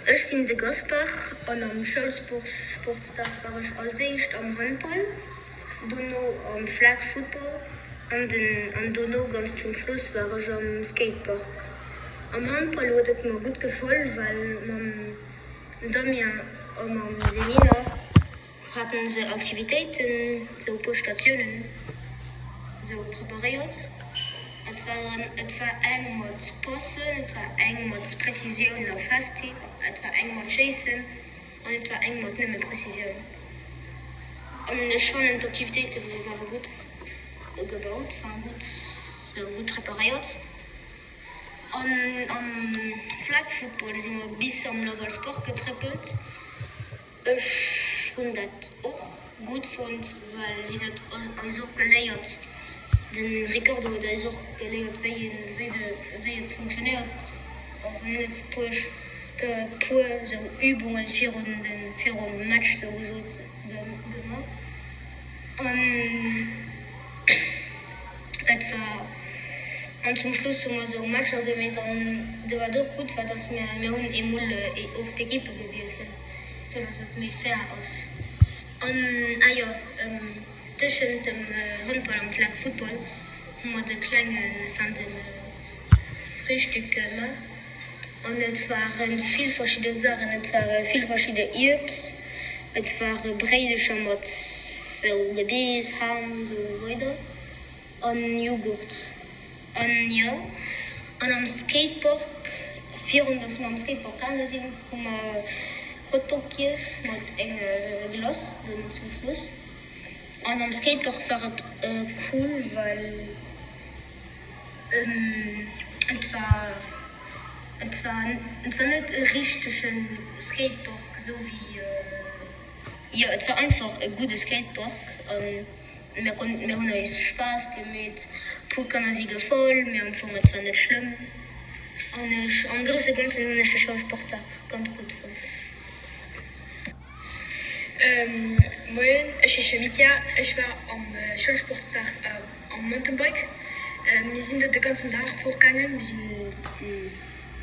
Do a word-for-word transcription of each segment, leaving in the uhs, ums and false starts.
Ech sinn de Gaspar an am Schoulsportsdag war ech als éischt am Handball, dono am Flag Football an den an dono ganz zum Schluss war ech am Skatepark. Am Handball huet et mer gutt gefall, well mam Damien a mam Selina haten se Aktivitéiten, sou e puer Statiounen sou preparéiert. Et waren et war eng mat Passen, et war eng mat Präzisioun a Festheet, et war eng mat Schéissen an et war eng mat nëmme Präzisioun. An ech fannen d'Aktivitéite ware gutt gebaut, waren gutt sou gutt preparéiert. An am Flag Football si mer bis am Laval's Park getréppelt. Ech hunn dat och gutt fonnt, well hien huet eis och geléiert, de Ricardo huet eis och geléiert, wéi een, wéi de, wéi et funktionéiert. Also hien huet e puer, e puer esou Übungen virun de, virum Match sou gesot gemaach. An et war, an zum Schluss hu mer esou Matcher gemeet an do wat och gutt war, dass mir, mir hunn eemol och d'Ekippe gewiesselt, fir dass et méi fair ass. An, ah jo, tëschent dem Handball an Flag Football hu mer de klengen, enfin de Frühstück gemaach an et ware vill verschidde Saachen, et ware vill verschidde Uebst, et ware Bréidecher mat sou Gebeess, Ham, sou weider an Joghurt. An jo, an am Skatepark, virun dass mer am Skatepark gaange sinn, hu mer Hotdog giess mat enge Glace dono zum Schluss. An am Skatepark war et cool, well et war et war et war net e richtege Skatepark esou wéi, jo et war einfach e gudde Skatepark an mir konnten, mir hunn eis Spaass gemeet, puer Kanner si gefall, mee am Fong et war net schlëmm. An ech am grousse Ganzen hunn ech de Schoulsportdag ganz gutt fonnt. Moien, ech heesche Mitja, ech war am Schoulsportsdag am Mountainbike. Mir sinn do de ganzen Dag fortgaangen, mir sinn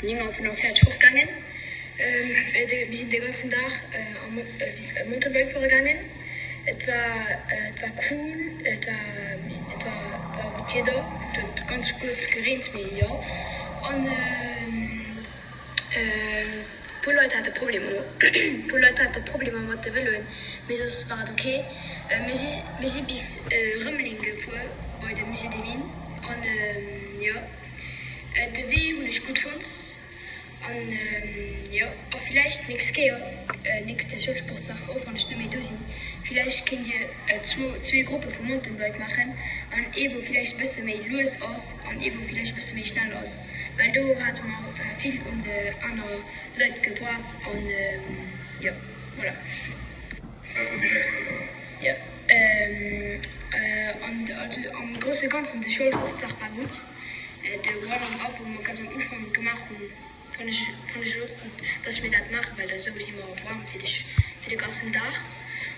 néng Auer fënnefenvéierzeg fortgaangen. Mir sinn de ganzen Dag am Mountainbike fuere gaangen. Et war et war cool, et war et war et war gutt Wieder, et huet ganz kuerz gereent, mee jo. An puer Leit hate Problemer puer Leit hate Problemer mat de Vëloen, mee soss war et ok. Mir si mir si bis Rëmeleng gefuer bei de Musée des Mines an jo de Wee hunn ech gutt fonnt an jo a villäicht d'nächst Kéier nächste Schoulsportsdag och wann ech net méi do sinn, villäicht kéint dir zwou zwee Gruppe vu Mountainbike maachen an ee wou villäicht e bësse méi lues ass an ee wou villäicht e bësse méi schnell ass, well do hate mer vill un de aner Leit gewaart an jo voilà. Jo an also am grousse Ganzen de Schoulsportsdag war gutt, de Warming up wou mer ganz am Ufank gemaach hunn fann ech fann ech och gutt, dass mir dat maachen, well esou si mer waarm fir de fir de ganzen Dag.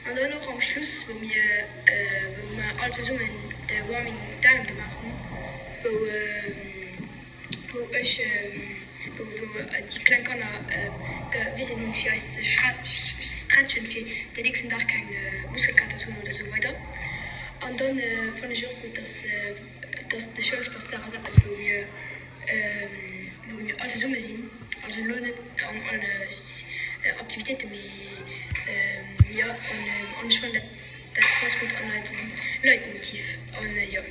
An dann och am Schluss wou mir wou mer all zesummen de Warming down gemaach hunn, wou wou ech wou wou déi kleng Kanner gewisen hunn fir eis ze stretchen fir den nächsten Dag keng Muskelkater ze hunn oder sou weider. An dann fannen ech och gutt, dass dass de Schoulsportsdag ass eppes wou mir wou mir all zesumme sinn, also elo net an alle Aktivitéiten, mee jo an ech fannen dat dat passt gutt an eisen Leitmotiv an jo.